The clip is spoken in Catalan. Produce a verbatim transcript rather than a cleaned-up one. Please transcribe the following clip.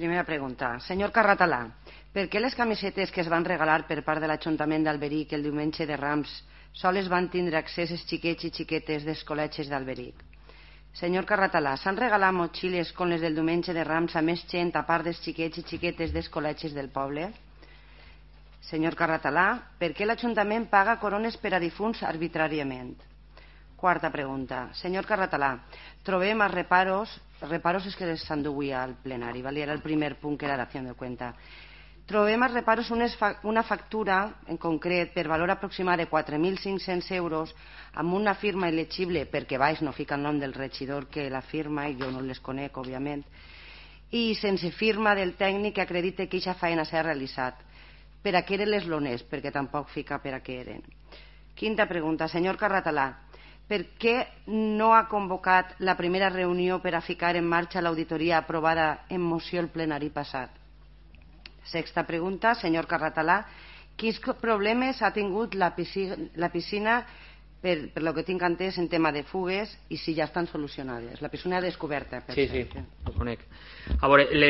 Primera pregunta. Senyor Carratalà, per què les camisetes que es van regalar per part de l'Ajuntament d'Alberic el diumenge de Rams sols van tindre accés els xiquets i xiquetes dels col·legis d'Alberic? Senyor Carratalà, s'han regalat motxilles com les del diumenge de Rams a més gent a part dels xiquets i xiquetes dels col·legis del poble? Senyor Carratalà, per què l'Ajuntament paga corones per a difunts arbitràriament? Quarta pregunta. Senyor Carratalà, trobem a reparos, reparos és que s'enduia al plenari, ¿vale? Era el primer punt que era d'acció de cuenta. Trobem a reparos unes fa una factura en concret per valor aproximat de quatre mil cinc-cents euros amb una firma il·legible, perquè baix no fica el nom del regidor que la firma, i jo no les conec, òbviament, i sense firma del tècnic que acredite que aquesta feina s'ha realitzat. Per a què eren les lones? Perquè tampoc fica per a què eren. Quinta pregunta. Senyor Carratalà, per què no ha convocat la primera reunió per a ficar en marxa l'auditoria aprovada en moció el plenari passat? Sexta pregunta. Senyor Carratalà, quins problemes ha tingut la piscina, la piscina per, per lo que tinc entès en tema de fugues i si ja estan solucionades? La piscina descoberta. Per sí, cert. Sí, ho conec. A veure, le